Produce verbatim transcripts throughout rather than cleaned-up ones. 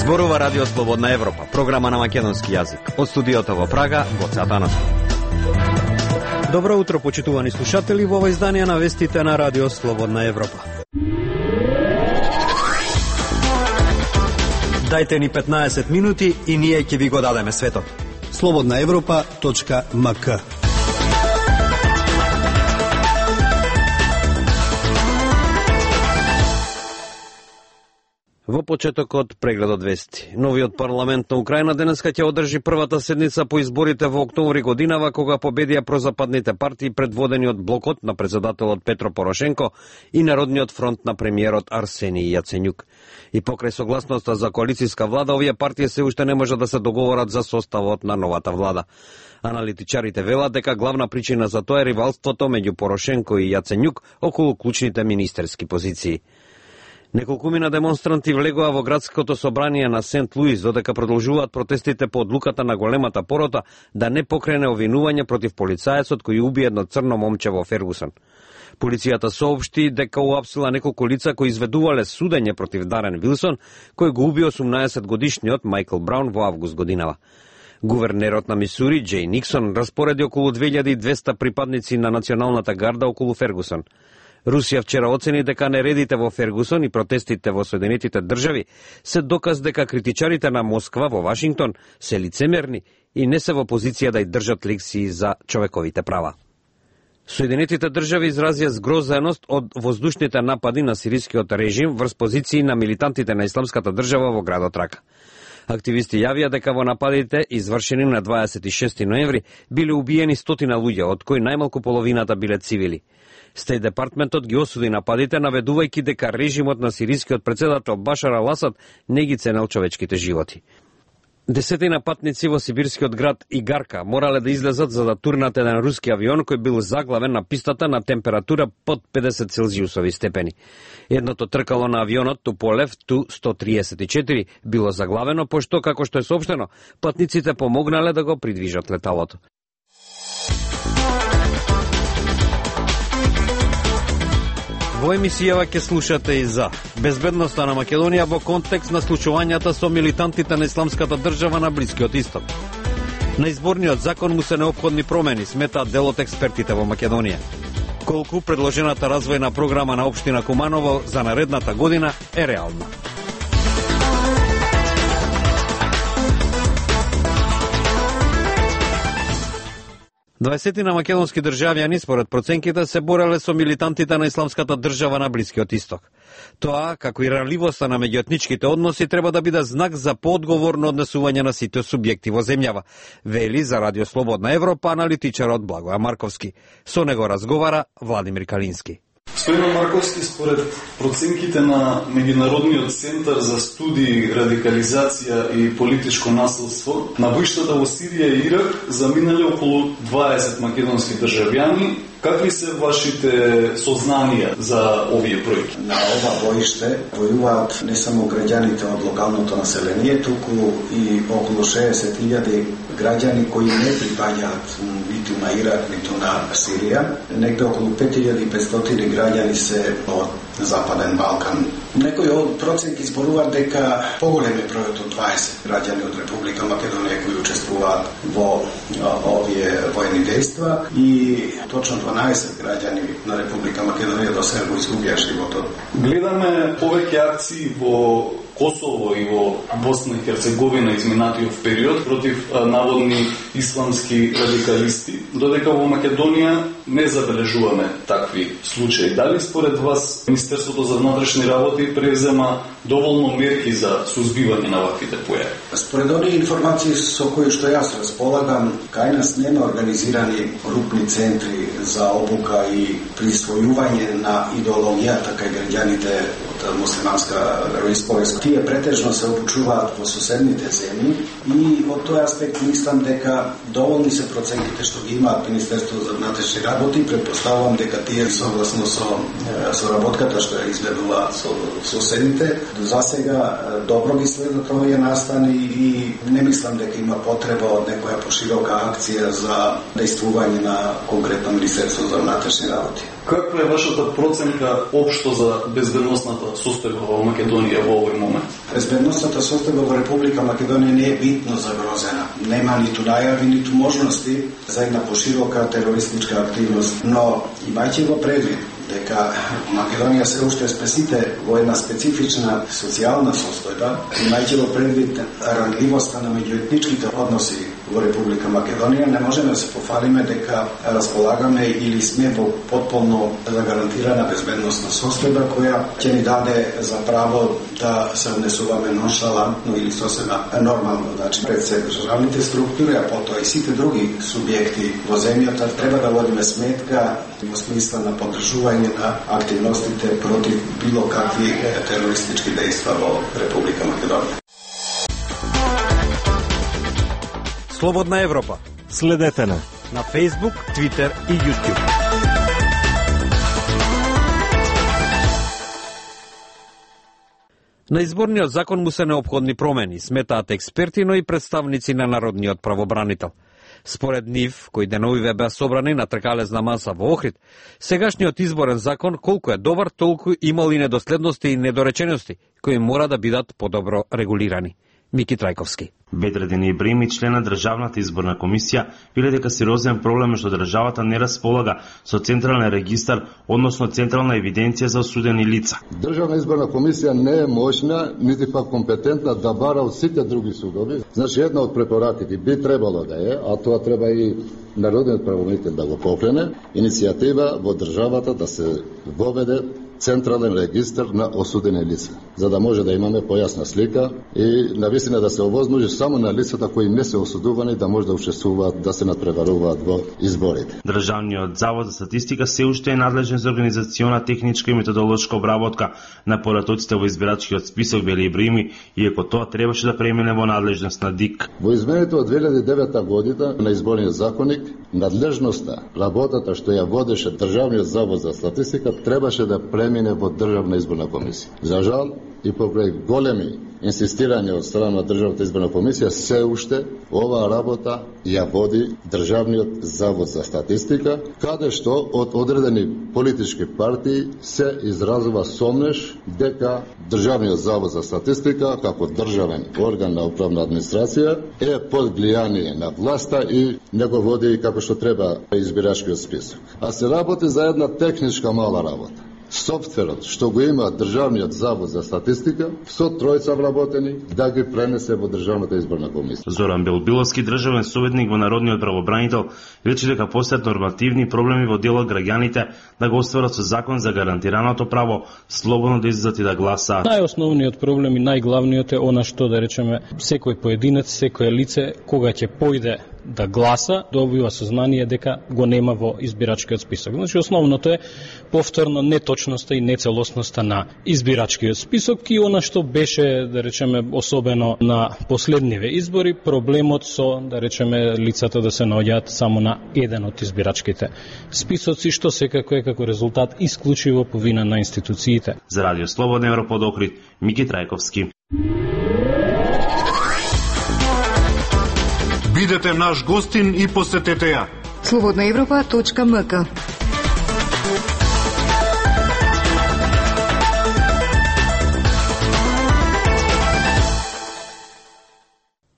Зборува Радио Слободна Европа, програма на македонски јазик. Од студиото во Прага, Гоце Атанасов. Добро утро, почитувани слушатели, во ова издание на вестите на Радио Слободна Европа. Дајте ни петнаесет минути и ние ќе ви го дадеме светот. слободна европа точка ем ка. Во почетокот прегледот вести. Новиот парламент на Украина денеска ќе одржи првата седница по изборите во октомври годинава, кога победија прозападните партии предводени од блокот на председателот Петро Порошенко и Народниот фронт на премиерот Арсенија Јаценјук. И покрај согласноста за коалицијска влада, овие партии се уште не можат да се договорат за составот на новата влада. Аналитичарите велат дека главна причина за тоа е ривалството меѓу Порошенко и Јаценјук околу клучните министерски позиции. Неколкумина демонстранти влегоа во градското собрание на Сент Луис, додека продолжуваат протестите по одлуката на големата порота да не покрене обвинување против полицаецот кој уби едно црно момче во Фергусон. Полицијата соопшти дека уапсила неколку лица кои изведувале судење против Дарен Вилсон, кој го уби осумнаесет годишниот Майкл Браун во август годинава. Гувернерот на Мисури, Џеј Никсон, распореди околу две илјади и двесте припадници на националната гарда околу Фергусон. Русија вчера оцени дека нередите во Фергусон и протестите во Соединетите држави се доказ дека критичарите на Москва во Вашингтон се лицемерни и не се во позиција да ја држат лекции за човековите права. Соединетите држави изразија згрозеност од воздушните напади на сирискиот режим врз позиции на милитантите на Исламската држава во градот Рака. Активисти јавија дека во нападите, извршени на дваесет и шести ноември, биле убиени стотина луѓе, од кои најмалку половината биле цивили. Стејт департментот ги осуди нападите, наведувајќи дека режимот на сирискиот председател Башар ал-Асад не ги ценел човечките животи. Десетина патници во сибирскиот град Игарка морале да излезат за да турнат еден руски авион кој бил заглавен на пистата на температура под педесет целзиусови степени. Едното тркало на авионот Туполев Ту сто триесет и четири било заглавено, пошто, како што е соопштено, патниците помогнале да го придвижат леталото. Во емисијава ќе слушате и за безбедноста на Македонија во контекст на случувањата со милитантите на Исламската држава на Блискиот Исток. На изборниот закон му се неопходни промени, сметаат дел од експертите во Македонија. Колку предложената развојна програма на општина Куманово за наредната година е реална. Дваесетина македонски државјани, според проценките, се бореле со милитантите на Исламската држава на Блискиот Исток. Тоа, како и ранливоста на меѓуетничките односи, треба да биде знак за поодговорно однесување на сите субјекти во земјава, вели за Радио Слободна Европа аналитичарот Благоја Марковски. Со него разговара Владимир Калински. Стојан Марковски, според проценките на Меѓународниот центар за студии, радикализација и политичко насилство, на боиштата во Сирија и Ирак заминале околу дваесет македонски државјани. Какви се вашите сознанија за овие бројки? На ова боиште војуваат не само граѓаните од локалното население, туку и околу шеесет илјади граѓани кои не припаѓаат ниту на Ирак, ниту на Сирија. Негде околу пет илјади и петстотини граѓани се од Западен Балкан. Некои од проценти зборуваат дека поголем е бројот од дваесет граѓани од Република Македонија кои учествуваат во овие војни дејства и точно дванаесет граѓани на Република Македонија до сега го изгубија животот. Гледаме повеќе акции во Косово и во Босна и Херцеговина изминатиот период против наводни исламски радикалисти, додека во Македонија не забележуваме такви случаи. Дали според вас Министерството за внатрешни работи презема доволно мерки за сузбивање на ваквите појави? Според оние информации со кои што јас располагам, кај нас нема организирани групни центри за обука и присвојување на идеологијата кај граѓаните од муслиманска вероисповест. Тие претежно се обучуваат во соседните земји и од тој аспект мислам дека доволни се проценките што ги имаат Министерството за внатрешни работи. Претпоставувам дека тие согласно со соработката што ја изведуваат со соседните, за сега добро ги следат овие настани и не мислам дека има потреба од некоја поширока акција за дејствување на конкретно Министерство за внатрешни работи. Каква е вашата проценка општо за безбедносната состојба во Македонија во овој момент? Безбедносната состојба во Република Македонија не е битно загрозена. Нема ниту најави, ниту можности за една поширока терористичка активност, но имајќи го предвид дека Македонија се уште е спесите во една специфична социјална состојба, имајќи го предвид рангливоста на меѓуетничките односи во Република Македонија, не можеме да се пофалиме дека располагаме или сме во потполно загарантирана безбедносна состојба која ќе ни даде за право да се однесуваме ноншалантно или сосема нормално. Значи, пред се државните структури, а потоа и сите други субјекти во земјата треба да водиме сметка во смисла на поддржување на активностите против било какви терористички дејства во Република Македонија. Слободна Европа. Следете на на Facebook, Twitter и YouTube. На изборниот закон му се неопходни промени, сметаат експерти, но и представници на народниот правобранител. Според нив, кои деновиве беа собрани на тркалезна маса во Охрид, сегашниот изборен закон колку е добар, толку имал и недоследности и недоречености, кои мора да бидат подобро регулирани. Мики Трајковски. Бедредин Ибрими, член на Државната изборна комисија, биле дека сериозен проблем е што државата не располага со централен регистар, односно централна евиденција за осудени лица. Државна изборна комисија не е моćна, нити пак компетентна да бара од сите други судови. Значи, една од препораките би требало да е, а тоа треба и народниот правобранител да го покрене, иницијатива во државата да се воведе централен регистар на осудени лица, за да може да имаме појасна слика и навистина да се овозможи само на лицата кои не се осудувани да може да учествуваат, да се надпреваруваат во изборите. Државниот завод за статистика се уште е надлежен за организациона, техничка и методолошка обработка на поратоците во избирачкиот список, вели Ибрими, иако тоа требаше да премине во надлежност на ДИК. Во измените од две илјади и девета година на изборниот законник, надлежноста, работата што ја водеше Државниот завод за статистика требаше да премине во Државна изборна комисија. За жал, и покрај големи инсистирање од страна на Државната изборна комисија, се уште оваа работа ја води Државниот завод за статистика, каде што од одредени политички партии се изразува сомнеш дека Државниот завод за статистика, како државен орган на управна администрација, е под влијание на власта и не го води како што треба избирачкиот список. А се работи за една техничка мала работа. Софтверот што го има Државниот завод за статистика со тројца вработени да ги пренесе во Државната изборна комисија. Зоран Белбиловски, државен советник во народниот правобранител, рече дека постојат нормативни проблеми во дел од граѓаните да го остварат со закон за гарантираното право слободно да излезат и да гласаат. Најосновниот проблем и најглавниот е она што, да речеме, секој поединец, секој лице кога ќе појде да гласа, добива сознание дека го нема во избирачкиот список. Значи, основното е повторно неточноста и нецелосноста на избирачкиот список и она што беше, да речеме, особено на последниве избори, проблемот со, да речеме, лицата да се наоѓаат само на еден од избирачките списоци, што секако е како резултат исклучиво по вина на институциите. За Радио Слободна Европа од Охрид, Мики Трајковски. Бидете наш гостин и посетете ја. слободна европа точка ем ка.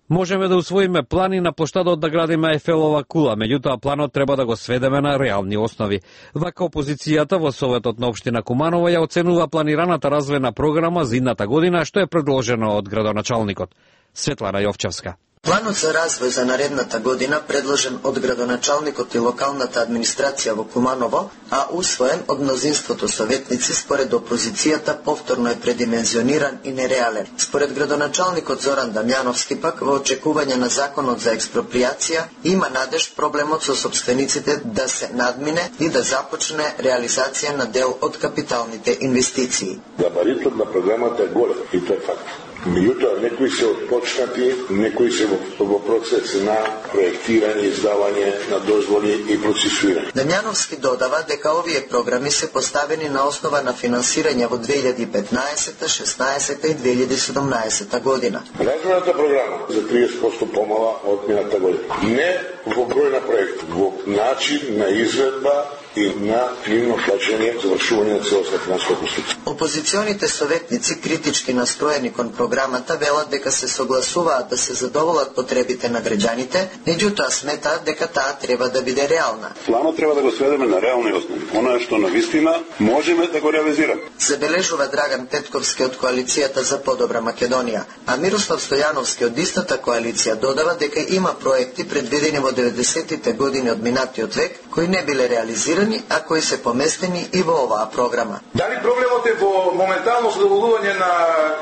Можеме да усвоиме плани на поштадот да градиме Ефелова кула, меѓутоа планот треба да го сведеме на реални основи. Вака опозицијата во Советот на општина Куманово ја оценува планираната развојна програма за идната година, што е предложено од градоначалникот. Светлана Јовчевска. Планот за развој за наредната година, предложен од градоначалникот и локалната администрација во Куманово, а усвоен од мнозинството советници, според опозицијата повторно е предимензиониран и нереален. Според градоначалникот Зоран Дамјановски пак, во очекување на законот за експроприација, има надеж проблемот со сопствениците да се надмине и да започне реализација на дел од капиталните инвестиции. Габаритот на програмата е голем и тоа е факт. Меѓутоа, некои се отпочнати, некои се во, во процес на проектирање, издавање на дозволи и процесуирање. Дамјановски додава дека овие програми се поставени на основа на финансирање во две илјади и петнаесета, шеснаесета и две илјади и седумнаесета година. Развојната програма за триесет проценти помала од мината година. Не во број на проекти, во начин на изvedба и на фино плаќање завршување на целосна финансова конструкција. Опозиционите советници, критички настроени кон програмата, велат дека се согласуваат да се задоволат потребите на граѓаните, меѓутоа сметаат дека таа треба да биде реална. Планот треба да го сведеме на реални основи, она што навистина можеме да го реализираме. Забележува Драган Петковски од коалицијата за подобра Македонија, а Мирослав Стојановски од истата коалиција додава дека има проекти предвидени во деветдесетите години од минатиот век кои не биле реализирани, а кои се поместени и во оваа програма. Дали проблемот е во моментално задоволување на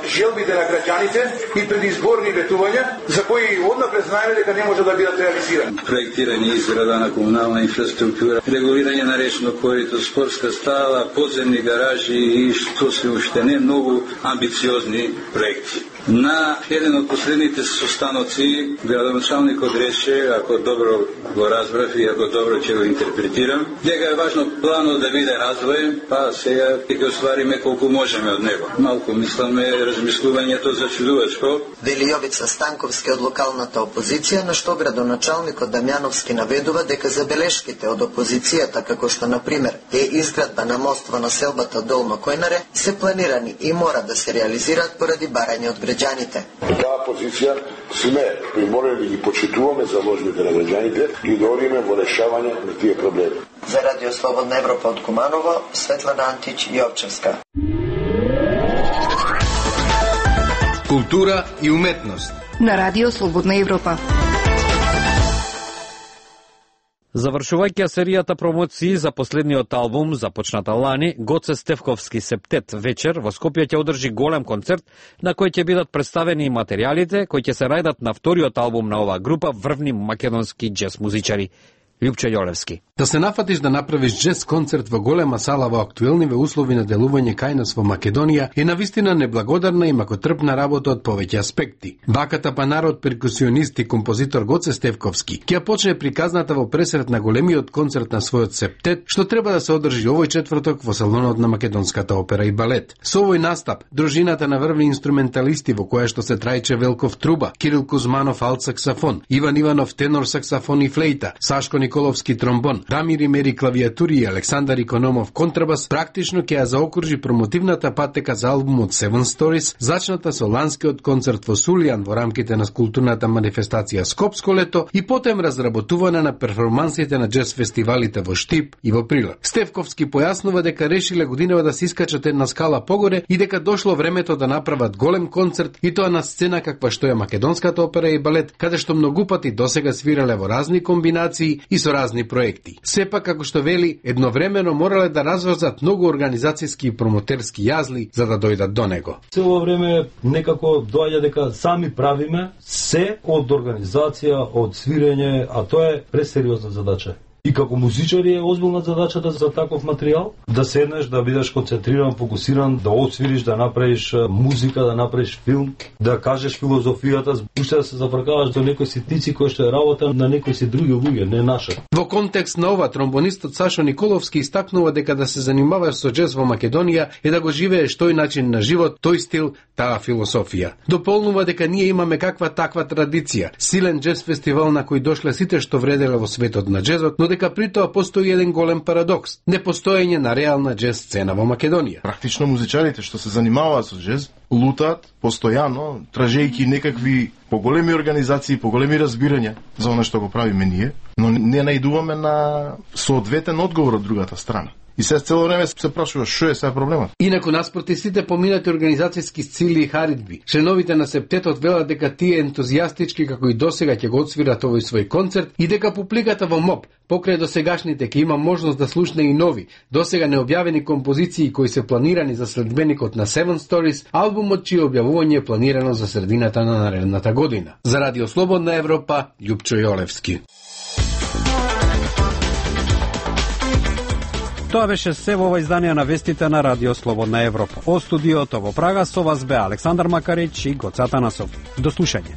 желбите на граѓаните и предизборни ветувања за кои однапред знаеме дека не може да бидат реализирани? Проектирање и изграда на комунална инфраструктура, регулирање на речно корито, спортска стала, подземни гаражи и што се уште не многу амбициозни проекти. На еден од последните состаноци градоначалникот рече, ако добро го разбрав и ако добро ќе го интерпретирам, дека е важно планот да биде развоен, па сега ќе оствариме колку можеме од него. Малку мисламе размислувањето за чудувачко. Вели Јовица Станковски од локалната опозиција, на што градоначалникот Дамјановски наведува дека забелешките од опозицијата, како што на пример е изградба на мост во населбата Долно Којнаре, се планирани и мора да се реализираат поради барање од граѓаните. Таа позиција сме приморени да ги почитуваме заложбите на граѓаните и да одиме во решавање на тие проблеми. За Радио Слободна Европа од Куманово, Светлана Антич Јовчевска. Култура и уметност на Радио Слободна Европа. Завршувајќи серијата промоции за последниот албум, започната лани, Гоце Стефковски Септет вечер во Скопје ќе одржи голем концерт на кој ќе бидат представени и материјалите кои ќе се рајдат на вториот албум на оваа група врвни македонски џез музичари. Лјупче Јолевски. Да се нафатиш да направиш џез концерт во голема сала во актуелниве услови на делување кај нас во Македонија е навистина неблагодарна и макотрпна работа од повеќе аспекти. Баката панарот перкусионист и композитор Гоце Стефковски ќе почне приказната во пресрет на големиот концерт на својот Септет, што треба да се одржи овој четврток во салонот на Македонската опера и балет. Со овој настап, дружината на врвни инструменталисти во која што се Трајче Велков труба, Кирил Кузманов алт саксафон, Иван Иванов тенор саксафон и флейта, Сашко Николовски тромбон, Дамир Имери клавиатури и Александар Икономов контрабас практично ќе ја заокружи промотивната патека за албумот Seven Stories, зачната со ланскиот концерт во Сулијан во рамките на културната манифестација Скопско лето и потем разработуване на перформансите на џез фестивалите во Штип и во Прилеп. Стефковски појаснува дека решиле годинава да се искачат една скала погоре и дека дошло времето да направат голем концерт и тоа на сцена каква што е Македонската опера и балет, каде што многу пати досега свирале во разни комбинации и со разни проекти. Сепак, како што вели, едновремено морале да разврзат многу организацијски и промотерски јазли за да дојдат до него. Цело време некако доаѓа дека сами правиме се од организација, од свирење, а тоа е пресериозна задача. И како музичари е озбилна задачата за таков материјал, да седнеш, да бидеш концентриран, фокусиран, да освириш, да направиш музика, да направиш филм, да кажеш филозофијата, уште да се запракаваш до некои ситници кои што е работа на некои си други луѓе, не наша. Во контекст на ова, тромбонистот Сашо Николовски истакнува дека да се занимаваш со џез во Македонија е да го живееш тој начин на живот, тој стил, таа философија. Дополнува дека ние имаме каква таква традиција, силен џез фестивал на кој дошле сите што вределе во светот на џезот, но дека при тоа постои еден голем парадокс – непостоење на реална џез сцена во Македонија. Практично музичарите што се занимаваат со џез лутаат постојано, тражејќи некакви поголеми организации, поголеми разбирања за она што го правиме ние, но не најдуваме на соодветен одговор од другата страна. И се цело време се прашува што е сега проблемот. Инаку наспроти сите поминати организацијски цели и харидби, членовите на Септетот велат дека тие ентузијастички како и досега ќе го отсвират овој свој концерт и дека публиката во МОП покрај досегашните ќе има можност да слушне и нови, досега необјавени композиции кои се планирани за следбеникот на Seven Stories, албумот чие објавување е планирано за средината на наредната година. За Радио Слободна Европа, Лјупчо Јолевски. Тоа беше се во ова издание на вестите на Радио Слободна Европа. О студиото во Прага со вас бе Александар Макарич и Гоце Атанасов. До слушање.